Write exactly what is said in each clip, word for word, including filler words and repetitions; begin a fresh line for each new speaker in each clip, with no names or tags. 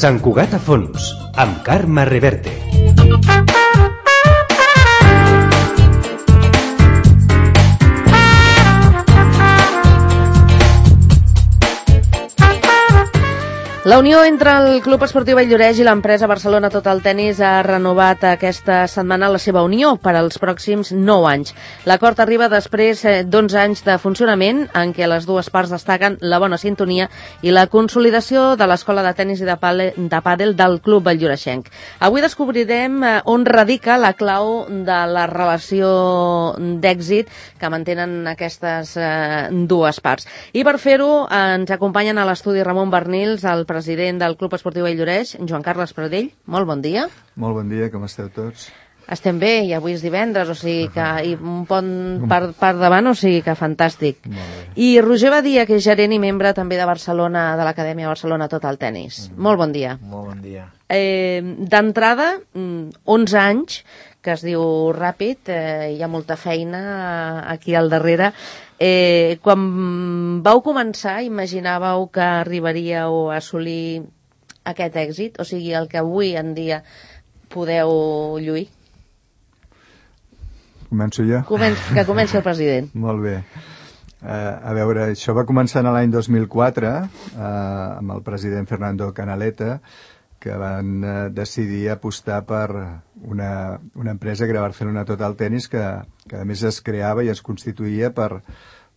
Sant Cugat a fons, amb Carme Reverte.
La unió entre el Club Esportiu Valldoreix i l'empresa Barcelona Total Tennis ha renovat aquesta setmana la seva unió per als pròxims nou anys. L'acord arriba després d'onze anys de funcionament en què les dues parts destaquen la bona sintonia i la consolidació de l'escola de tennis i de pàdel del Club Valldoreixenc. Avui descobrirem on radica la clau de la relació d'èxit que mantenen aquestes dues parts. I per fer-ho ens acompanyen a l'estudi Ramon Bernils, el president del Club Esportiu Valldoreix, Joan Carles Pradell. Molt bon dia.
Molt bon dia, com esteu tots?
Estem bé, i avui és divendres, o sigui que i un pont per, per davant, o sigui que fantàstic. I Roger Badia, que és gerent i membre també de Barcelona, de l'Acadèmia Barcelona Total Tennis. Mm. Molt bon dia.
Molt bon dia.
Eh, D'entrada, onze anys, que es diu ràpid, eh, hi ha molta feina aquí al darrere. Eh, quan vau començar, imaginàveu que arribaríeu a assolir aquest èxit? O sigui, el que avui en dia podeu lluir?
Començo jo?
Començ, que comenci el president.
Molt bé. Uh, a veure, això va començar l'any dos mil quatre uh, amb el president Fernando Canaleta, que van uh, decidir apostar per una, una empresa que era Barcelona Total Tennis, que, que a més es creava i es constituïa per,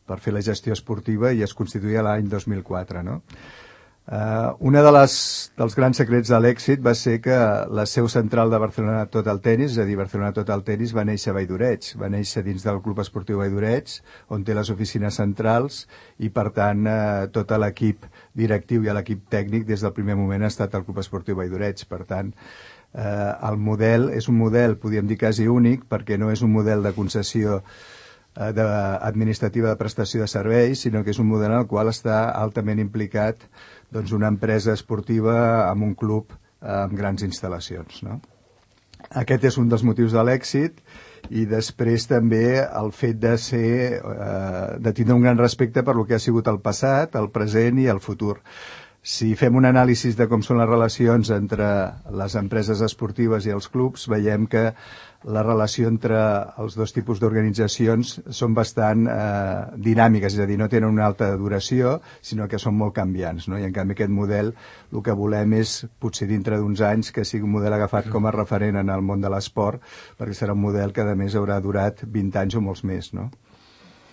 per fer la gestió esportiva, i es constituïa l'any dos mil quatre, no? Uh, una de les, dels grans secrets de l'èxit va ser que la seu central de Barcelona Total Tennis, és a dir, Barcelona Total Tennis, va néixer a Valldoreix, va néixer dins del Club Esportiu Valldoreix, on té les oficines centrals, i per tant uh, tot l'equip directiu i l'equip tècnic des del primer moment ha estat al Club Esportiu Valldoreix. Per tant, uh, el model és un model, podríem dir, quasi únic, perquè no és un model de concessió uh, de, administrativa de prestació de serveis, sinó que és un model en el qual està altament implicat doncs una empresa esportiva amb un club eh, amb grans instal·lacions, no? Aquest és un dels motius de l'èxit, i després també el fet de ser, eh, de tindre un gran respecte per lo que ha sigut el passat, el present i el futur. Si fem un anàlisi de com són les relacions entre les empreses esportives i els clubs, veiem que la relació entre els dos tipus d'organitzacions són bastant eh, dinàmiques, és a dir, no tenen una alta duració, sinó que són molt canviants, no? I en canvi aquest model, el que volem és, potser dintre d'uns anys, que sigui un model agafat com a referent en el món de l'esport, perquè serà un model que a més haurà durat vint anys o molts més, no?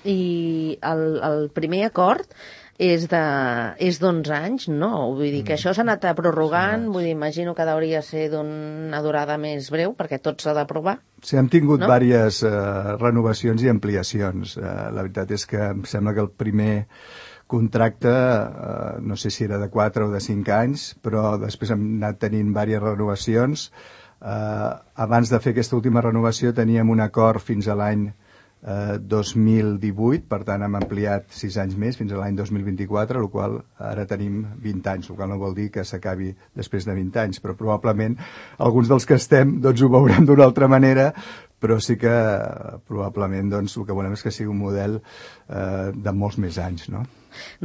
I el, el primer acord és de és d'onze anys, no? Vull dir que això s'ha anat prorrogant, vull dir, imagino que hauria de ser d'una durada més breu, perquè tot s'ha d'aprovar.
Sí, hem tingut
no?
diverses uh, renovacions i ampliacions. Uh, la veritat és que em sembla que el primer contracte, uh, no sé si era de quatre o de cinc anys, però després hem anat tenint diverses renovacions. Uh, abans de fer aquesta última renovació teníem un acord fins a l'any Uh, dos mil divuit, per tant hem ampliat sis anys més fins a l'any dos mil vint-i-quatre, el qual ara tenim vint anys, el qual no vol dir que s'acabi després de vint anys, però probablement alguns dels que estem doncs ho veurem d'una altra manera, però sí que probablement doncs, el que volem és que sigui un model uh, de molts més anys, no?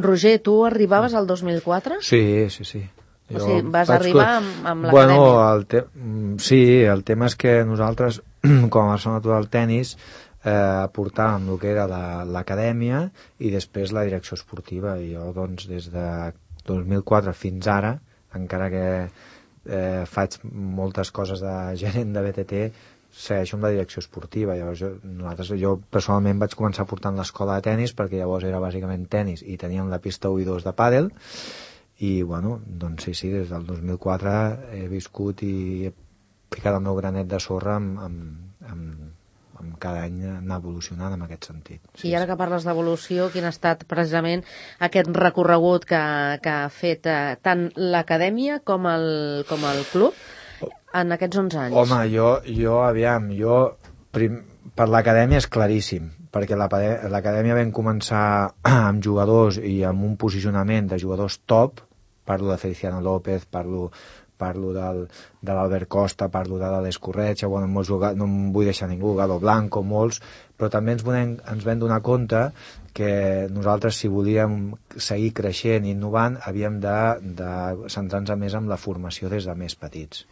Roger, tu arribaves al dos mil quatre?
Sí, sí, sí.
O sigui, vas arribar amb, amb l'acadèmia?
Bueno, el te... sí, el tema és que nosaltres, com a Barcelona Total Tennis, eh, aportàvem el que era l'acadèmia i després la direcció esportiva. I jo, doncs, des de dos mil quatre fins ara, encara que eh, faig moltes coses de gerent de B T T, segueixo amb la direcció esportiva. Llavors jo, nosaltres, jo personalment vaig començar portant l'escola de tennis, perquè llavors era bàsicament tennis i teníem la pista u i dos de pàdel, i bueno, doncs sí, sí, des del dos mil quatre he viscut i he ficat el meu granet de sorra amb, amb, amb, amb cada any anar evolucionant en aquest sentit. Sí,
I ara que parles d'evolució, quin ha estat precisament aquest recorregut que, que ha fet eh, tant l'acadèmia com el, com el club en aquests onze anys?
Home, jo, jo aviam, jo prim, per l'acadèmia és claríssim, perquè l'acadèmia vam començar amb jugadors i amb un posicionament de jugadors top, parlo de Feliciano López, parlo, parlo del, de l'Albert Costa, parlo de l'Aleix Corretja, bueno, molts jugat, no em vull deixar ningú, Gado Blanco, molts, però també ens, volem, ens vam donar compte que nosaltres, si volíem seguir creixent i innovant, havíem de, de centrar-nos més en la formació des de més petits.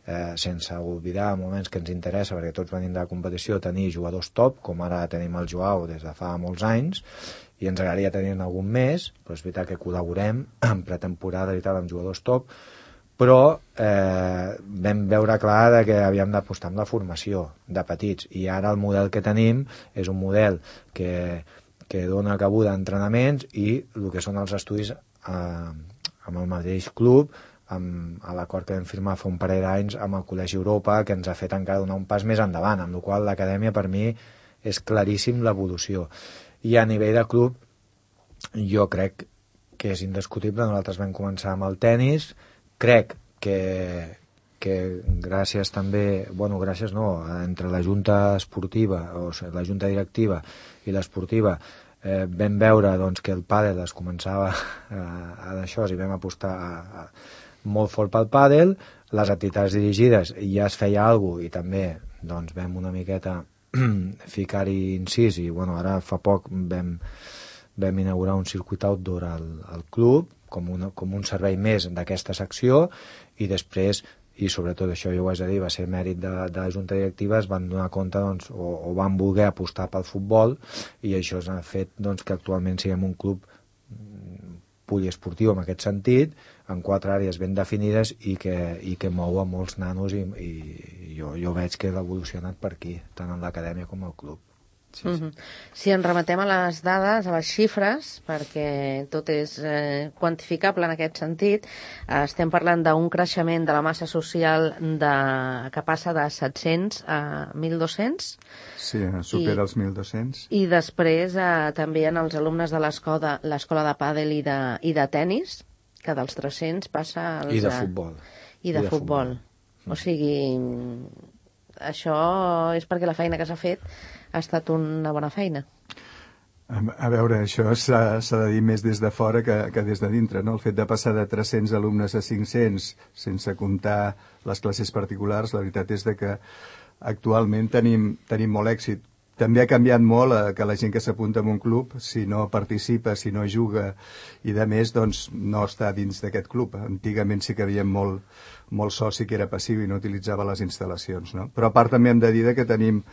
Eh, sense oblidar moments que ens interessa, perquè tots venim de la competició, tenir jugadors top, com ara tenim el Joao des de fa molts anys, i ens agradaria tenir algun més, però és veritat que col·laborem en pretemporada i tal amb jugadors top, però eh, vam veure clar de que havíem d'apostar amb la formació de petits, i ara el model que tenim és un model que, que dona cabuda a entrenaments i el que són els estudis eh, amb el mateix club, amb, a l'acord que vam firmar fa un parell d'anys amb el Col·legi Europa, que ens ha fet encara donar un pas més endavant, amb la qual l'acadèmia per mi és claríssim l'evolució. I a nivell de club jo crec que és indiscutible. Nosaltres vam començar amb el tennis, crec que, que gràcies també, bueno, gràcies no, entre la junta esportiva, o sigui, la junta directiva i l'esportiva, eh, vam veure doncs, que el pàdel es començava a, a d'això i vam apostar a, a molt fort pel pàdel, les activitats dirigides ja es feia alguna cosa i també doncs, vam una miqueta ficar-hi incís i bueno, ara fa poc vam, vam inaugurar un circuit outdoor al, al club com, una, com un servei més d'aquesta secció i després, i sobretot això jo ho haig de dir, va ser mèrit de, de la junta directiva, es van donar compte doncs, o, o van voler apostar pel futbol i això ha fet doncs, que actualment siguem un club poliesportiu en aquest sentit, en quatre àrees ben definides i que, i que mou a molts nanos i, i jo, jo veig que l'evolució ha anat per aquí, tant en l'acadèmia com al club. Sí,
uh-huh. sí. Si ens remetem a les dades, a les xifres, perquè tot és eh, quantificable en aquest sentit, eh, estem parlant d'un creixement de la massa social de, que passa de set-cents a mil dos-cents.
Sí, supera I, els mil dos-cents.
I després eh, també en els alumnes de l'escola l'escola de pàdel i de, i de tennis, que dels tres-cents passa als...
I de futbol.
I de, I de futbol. futbol. O sigui, això és perquè la feina que s'ha fet ha estat una bona feina.
A veure, això s'ha de dir més des de fora que, que des de dintre, no? El fet de passar de tres-cents alumnes a cinc-cents, sense comptar les classes particulars, la veritat és de que actualment tenim, tenim molt èxit. També ha canviat molt eh, que la gent que s'apunta en un club, si no participa, si no juga i de més, doncs no està dins d'aquest club. Antigament sí que havíem molt, molt soci que era passiu i no utilitzava les instal·lacions, no? Però a part també hem de dir que tenim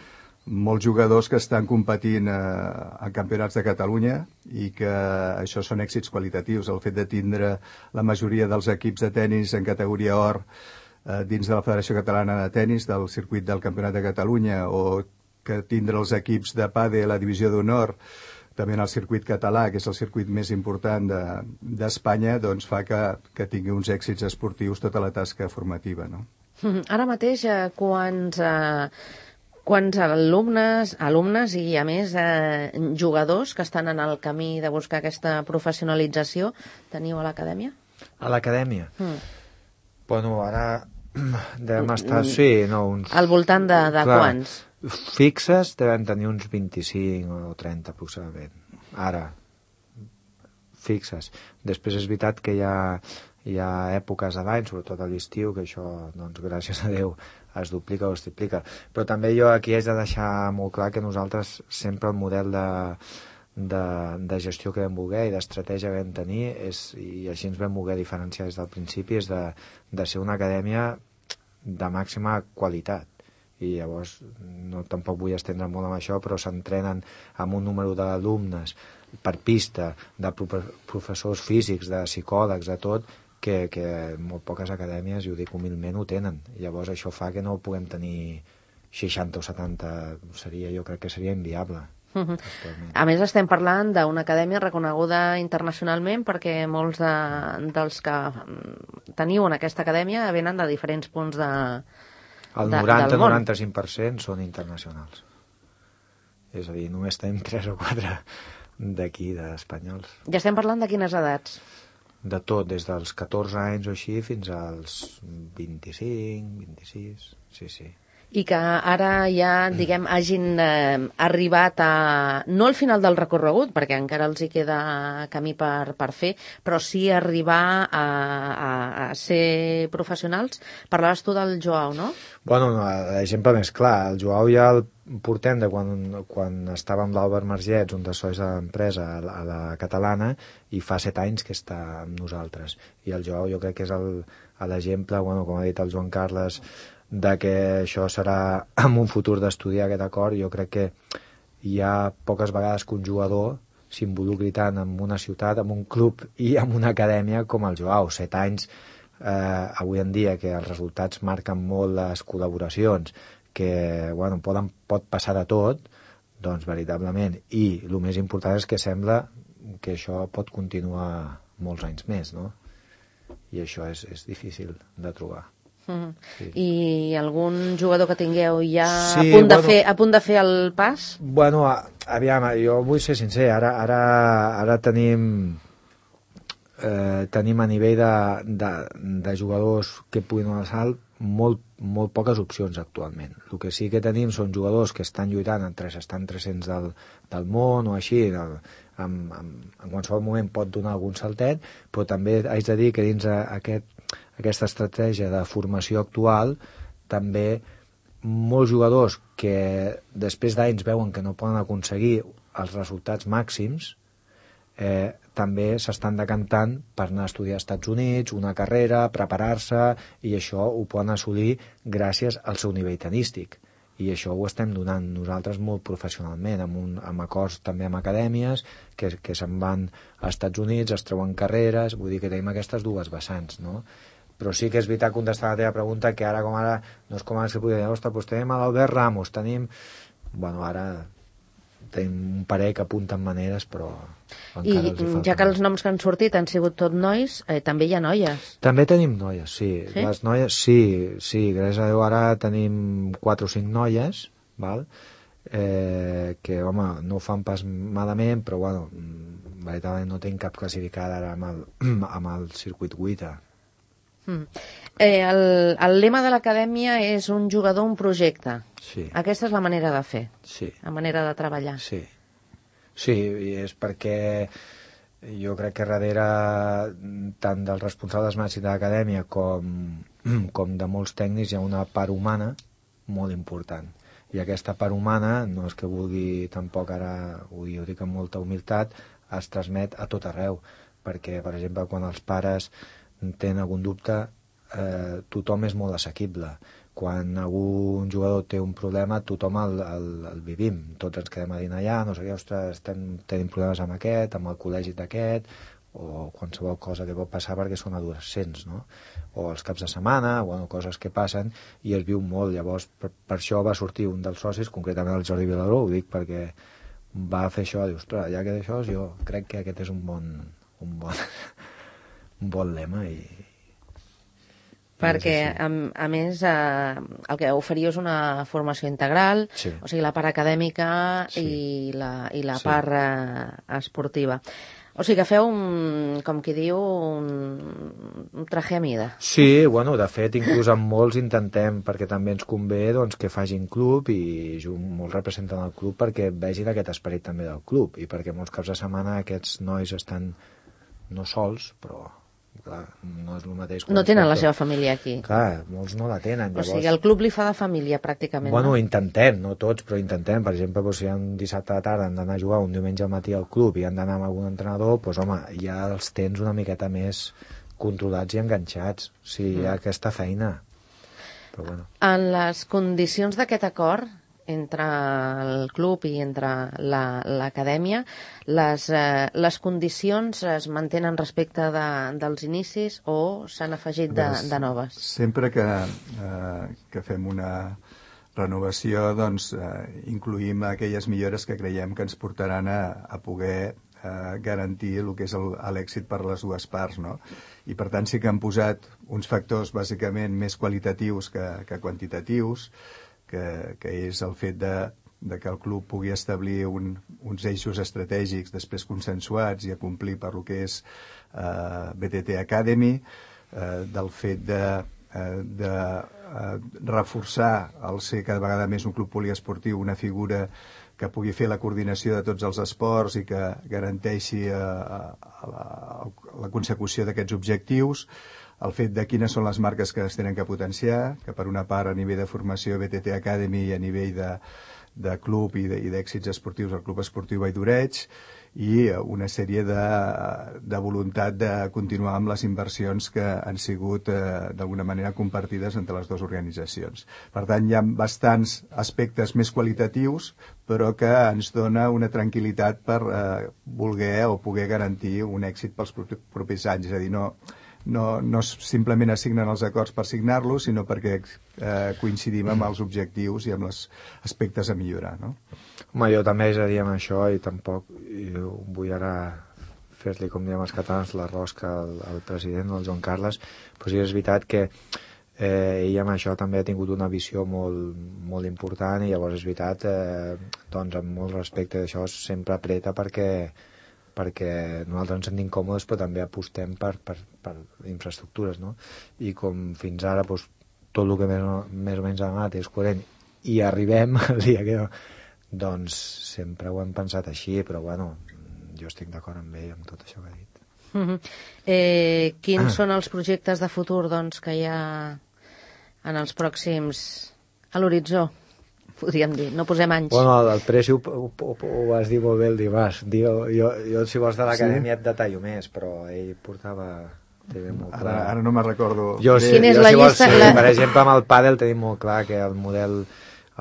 molts jugadors que estan competint eh, en campionats de Catalunya i que això són èxits qualitatius. El fet de tindre la majoria dels equips de tennis en categoria or eh, dins de la Federació Catalana de Tenis, del circuit del Campionat de Catalunya, o que tindre els equips de pàdel a la divisió d'honor també en el circuit català, que és el circuit més important d'Espanya, de, doncs fa que, que tingui uns èxits esportius tota la tasca formativa, no?
Ara mateix, eh, quants, eh, quants alumnes, alumnes i, a més, eh, jugadors que estan en el camí de buscar aquesta professionalització teniu a l'acadèmia?
A l'acadèmia?
Mm.
Bueno, ara devem estar, sí, no, uns...
Al voltant de, de
Clar,
quants?
Fixes devem tenir uns vint-i-cinc o trenta aproximadament. Ara, fixes. Després és veritat que hi ha, hi ha èpoques de l'any, sobretot a l'estiu, que això, doncs, gràcies a Déu, es duplica o es triplica. Però també jo aquí haig de deixar molt clar que nosaltres sempre el model de, de, de gestió que vam voler i d'estratègia que vam tenir és, i així ens vam voler diferenciar des del principi, és de, de ser una acadèmia de màxima qualitat. I llavors no, tampoc vull estendre molt amb això, però s'entrenen amb un número d'alumnes per pista, de professors físics, de psicòlegs, de tot, que, que molt poques acadèmies, i ho dic humilment, ho tenen. Llavors això fa que no puguem tenir seixanta o setanta, seria, jo crec que seria inviable.
Uh-huh. A més, estem parlant d'una acadèmia reconeguda internacionalment, perquè molts de, dels que teniu en aquesta acadèmia venen de diferents punts de
el noranta a noranta-cinc per cent són internacionals. És a dir, només tenim tres o quatre d'aquí, d'espanyols.
Ja estem parlant de quines edats?
De tot, des dels catorze anys o així fins als vint-i-cinc, vint-i-sis, sí, sí.
i que ara ja, diguem, hagin eh, arribat a... no al final del recorregut, perquè encara els hi queda camí per, per fer, però sí arribar a, a, a ser professionals. Parlaves tu del Joao, no?
Bueno, no, l'exemple més clar, el Joao ja el portem de quan, quan estava amb l'Àlvar Margets, un dels sois de l'empresa, a, la, a la catalana, i fa set anys que està amb nosaltres. I el Joao jo crec que és el, l'exemple, bueno, com ha dit el Joan Carles, de que això serà en un futur d'estudiar aquest acord. Jo crec que hi ha poques vegades que un jugador s'involucri tant en una ciutat, en un club i en una acadèmia com el Joao. Set anys, eh, avui en dia, que els resultats marquen molt les col·laboracions, que bueno, poden, pot passar de tot, doncs veritablement. I el més important és que sembla que això pot continuar molts anys més, no? I això és, és difícil de trobar.
Mm. Sí. I algun jugador que tingueu ja
sí,
a, punt de
bueno,
fer, a punt de fer el pas?
Bueno, aviam, jo vull ser sincer, ara, ara, ara tenim eh, tenim a nivell de, de, de jugadors que puguin anar al salt molt, molt poques opcions actualment. El que sí que tenim són jugadors que estan lluitant entre estan tres-cents del, del món o així, en, en, en qualsevol moment pot donar algun saltet, però també haig de dir que dins aquest aquesta estratègia de formació actual, també molts jugadors que després d'anys veuen que no poden aconseguir els resultats màxims, eh, també s'estan decantant per anar a estudiar als Estats Units, una carrera, preparar-se, i això ho poden assolir gràcies al seu nivell tenístic. I això ho estem donant nosaltres molt professionalment, amb, un, amb acords també amb acadèmies, que, que se'n van als Estats Units, es treuen carreres, vull dir que tenim aquestes dues vessants, no? Però sí que és veritat, contestar la teva pregunta, que ara com ara, no és com ara que podria dir, ostres, doncs tenim l'Albert Ramos, tenim... Bueno, ara tenim un parell que apunten maneres, però encara els hi falta.
I ja que els noms que han sortit han sigut tot nois, eh, també hi ha noies.
També tenim noies, sí.
Sí?
Les noies, sí, sí, gràcies a Déu ara tenim quatre o cinc noies, val? Eh, que, home, no ho fan pas malament, però, bueno, veritablement no tinc cap classificada ara amb el, amb el circuit Wita.
Mm. Eh, el, el lema de l'acadèmia és un jugador, un projecte.
Sí.
Aquesta és la manera de fer,
sí.
la manera de treballar.
Sí, sí, i és perquè jo crec que darrere tant dels responsables màxims de l'acadèmia com, com de molts tècnics hi ha una part humana molt important. I aquesta part humana, no és que vulgui tampoc ara, ho dic amb molta humilitat, es transmet a tot arreu. Perquè, per exemple, quan els pares tenen algun dubte, eh, tothom és molt assequible. Quan algun jugador té un problema, tothom el, el, el vivim. Tots ens quedem a dinar allà, no sé què, ostres, estem, tenim problemes amb aquest, amb el col·legi d'aquest, o qualsevol cosa que pot passar perquè són adolescents, no? O els caps de setmana, bueno, coses que passen, i es viu molt. Llavors, per, per això va sortir un dels socis, concretament el Jordi Vilaró, ho dic perquè va fer això, diu, ostres, ja que d'això, jo crec que aquest és un bon... un bon... un bon lema i...
Perquè, a, a més, eh, el que oferia és una formació integral,
sí.
O sigui, la part acadèmica
sí.
i la, i la
sí.
part eh, esportiva. O sigui que feu, un, com qui diu, un, un traje a mida.
Sí, bueno, de fet, inclús amb molts intentem, perquè també ens convé doncs, que facin club i molts representen el club perquè vegin aquest esperit també del club i perquè molts caps de setmana aquests nois estan no sols, però clar, no és el mateix.
No tenen la seva família aquí.
Clar, molts no la tenen. Llavors...
O sigui, el club li fa de família, pràcticament.
Bueno,
no?
intentem, no tots, però intentem. Per exemple, doncs, si hi ha un dissabte de tarda han d'anar a jugar, un diumenge al matí al club i han d'anar amb algun entrenador, doncs, home, ja els tens una miqueta més controlats i enganxats. O sigui, hi ha aquesta feina. Però, bueno.
En les condicions d'aquest acord, entre el club i entre l'acadèmia, la, les, eh, les condicions es mantenen respecte de, dels inicis o s'han afegit de, de noves?
Sempre que, eh, que fem una renovació, doncs, eh, incluïm aquelles millores que creiem que ens portaran a, a poder eh, garantir el que és l'èxit per les dues parts, no? I per tant sí que han posat uns factors bàsicament més qualitatius que, que quantitatius, Que, que és el fet de, de que el club pugui establir un, uns eixos estratègics després consensuats i a complir per lo que és eh, B T T Academy, eh, del fet de eh, de eh, reforçar el ser cada vegada més un club poliesportiu, una figura que pugui fer la coordinació de tots els esports i que garanteixi eh, la, la consecució d'aquests objectius, el fet de quines són les marques que es tenen que potenciar, que per una part a nivell de formació B T T Academy i a nivell de, de club i d'èxits esportius el Club Esportiu Vall d'Oreig, i una sèrie de, de voluntat de continuar amb les inversions que han sigut eh, d'alguna manera compartides entre les dues organitzacions. Per tant, hi ha bastants aspectes més qualitatius, però que ens dona una tranquil·litat per eh, voler o poder garantir un èxit pels propers anys. És a dir, no, no, no simplement assignen els acords per signar-los, sinó perquè eh, coincidim amb els objectius i amb els aspectes a millorar, no?
Home, jo també és a dir amb això i tampoc i vull ara fer-li, com diem els catalans, la rosca al, al president, al Joan Carles, però sí és veritat que eh, ell amb això també ha tingut una visió molt, molt important i llavors és veritat, eh, doncs amb molt respecte d'això sempre apreta perquè perquè nosaltres ens sentim còmodes però també apostem per, per, per infraestructures, no? I com fins ara doncs, tot el que més, més o menys ha anat és coherent i arribem al dia que doncs sempre ho hem pensat així, però bueno, jo estic d'acord amb ell amb tot això que ha dit.
Uh-huh. eh, quins ah. són els projectes de futur doncs, que hi ha en els pròxims a l'horitzó? Podríem dir, no posem anys.
Bueno, el Preci ho, ho, ho, ho vas dir molt bé el dimarts. Jo, jo, jo, si vols de l'acadèmia sí? et detallo més, però ell portava... Molt clar.
Ara, ara no me'n recordo.
Jo, sí,
Quina és
jo,
la
si vols,
llista?
Sí,
La...
per exemple, amb el pàdel tenim molt clar que el model,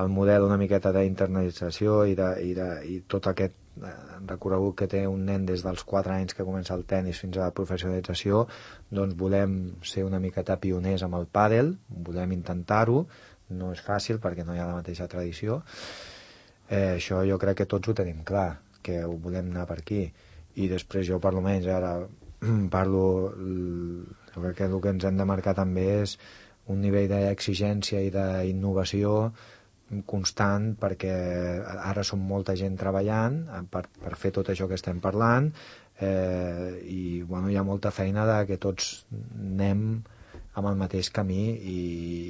el model una miqueta d'internalització i, de, i, de, i tot aquest recorregut que té un nen des dels quatre anys que comença el tennis fins a la professionalització, doncs volem ser una miqueta pioners amb el pàdel, volem intentar-ho, no és fàcil perquè no hi ha la mateixa tradició. Eh, això jo crec que tots ho tenim clar, que ho volem anar per aquí. I després jo per almenys ara parlo, jo crec que el que ens hem de marcar també és un nivell d'exigència i d'innovació constant, perquè ara som molta gent treballant per, per fer tot això que estem parlant, eh, i bueno, hi ha molta feina de que tots anem amb el mateix camí i,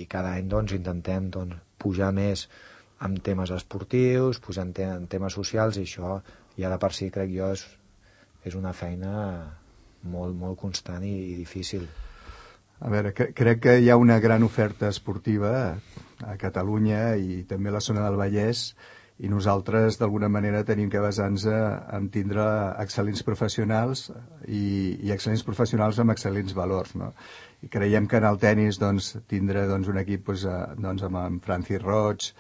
i cada any doncs, intentem doncs, pujar més en temes esportius, pujar en, te en temes socials, i això ja de per si crec jo és, és una feina molt, molt constant i, i difícil.
A veure, cre crec que hi ha una gran oferta esportiva a Catalunya i també a la zona del Vallès, i nosaltres d'alguna manera tenim que basar-nos en tindre excel·lents professionals i, i excel·lents professionals amb excel·lents valors, no? I creiem que en el tennis doncs, tindre doncs, un equip doncs, doncs, amb en Francis Roig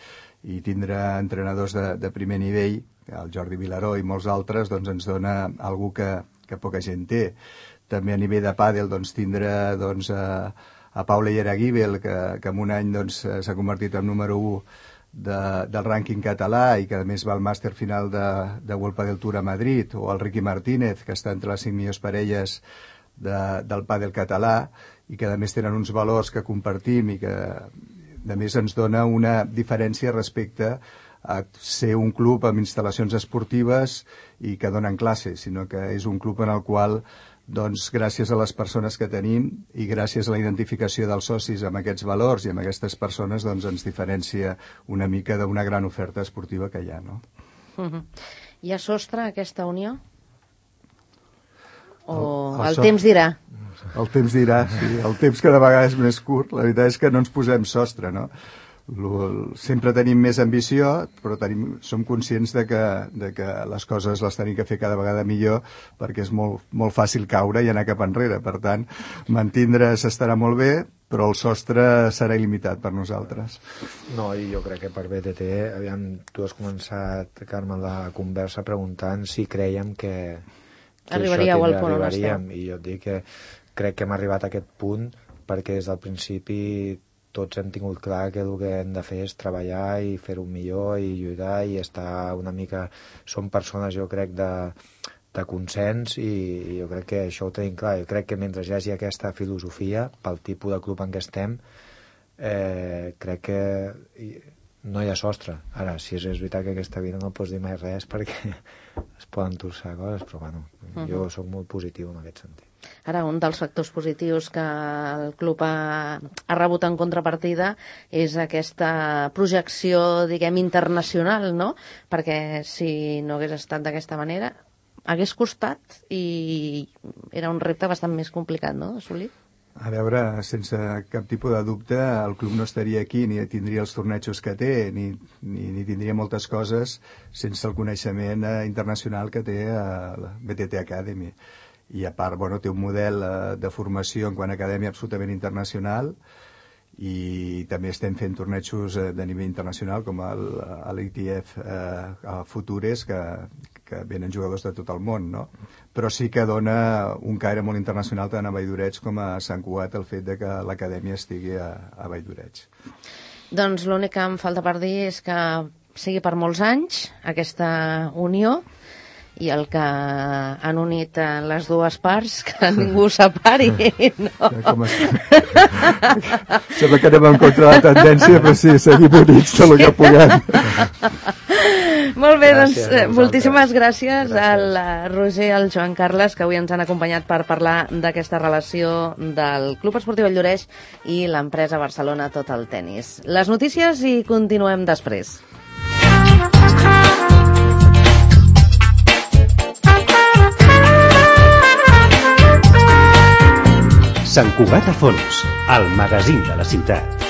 i tindre entrenadors de, de primer nivell, el Jordi Vilaró i molts altres, doncs, ens dona algú que, que poca gent té. També a nivell de pàdel doncs, tindre doncs, a, a Paula Iaraguibel, que, que en un any doncs, s'ha convertit en número u de, del rànquing català i que a més va al màster final de, de World Padel Tour a Madrid, o el Ricky Martínez, que està entre les cinc millors parelles de, del pàdel català, i que a més tenen uns valors que compartim i que a més ens dona una diferència respecte a ser un club amb instal·lacions esportives i que donen classes, sinó que és un club en el qual doncs, gràcies a les persones que tenim i gràcies a la identificació dels socis amb aquests valors i amb aquestes persones, doncs ens diferencia una mica d'una gran oferta esportiva que hi ha, no?
Uh-huh. Hi ha sostre aquesta unió? O el, el,
el
temps dirà?
El temps dirà, sí. El temps cada vegada és més curt. La veritat és que no ens posem sostre, no? Sempre tenim més ambició, però tenim, som conscients de que, de que les coses les tenim que fer cada vegada millor, perquè és molt, molt fàcil caure i anar cap enrere. Per tant, mantindre's estarà molt bé, però el sostre serà il·limitat per nosaltres.
No, i jo crec que per B T T, aviam, tu has començat, Carme, la conversa preguntant si creiem que, que
arribaríeu al punt on
esteu. I jo et dic que crec que hem arribat a aquest punt perquè des del principi tots hem tingut clar que el que hem de fer és treballar i fer-ho millor i lluitar i estar una mica... Som persones, jo crec, de, de consens i, i jo crec que això ho tenim clar. Jo crec que mentre hi hagi aquesta filosofia, pel tipus de club en què estem, eh, crec que no hi ha sostre. Ara, si és, és veritat que aquesta vida no pots dir mai res perquè es poden torçar coses, però bueno, uh-huh. jo soc molt positiu en aquest sentit.
Ara, un dels factors positius que el club ha, ha rebut en contrapartida és aquesta projecció, diguem, internacional, no? Perquè si no hagués estat d'aquesta manera, hagués costat i era un repte bastant més complicat, no?, d'assolir.
A veure, sense cap tipus de dubte, el club no estaria aquí, ni tindria els tornejos que té, ni, ni, ni tindria moltes coses sense el coneixement eh, internacional que té eh, la B T T Academy. I a part, bueno, té un model eh, de formació en quant a acadèmia absolutament internacional, i també estem fent tornejos eh, de nivell internacional com l'I T F eh, Futures, que, que venen jugadors de tot el món, no? Però sí que dona un caire molt internacional tant a Valldoreig com a Sant Cugat el fet de que l'acadèmia estigui a, a Valldoreig.
Doncs l'únic que em falta per dir és que sigui per molts anys aquesta unió, i el que han unit les dues parts, que ningú separi, no?
Com sembla que anem en contra de la tendència, però sí, seguim units tot el que puguem.
Molt bé, doncs, moltíssimes gràcies al Roger i al Joan Carles, que avui ens han acompanyat per parlar d'aquesta relació del Club Esportiu Valldoreig i l'empresa Barcelona Total Tennis. Les notícies i continuem després.
Sant Cugat a Fons, el magazín de la ciutat.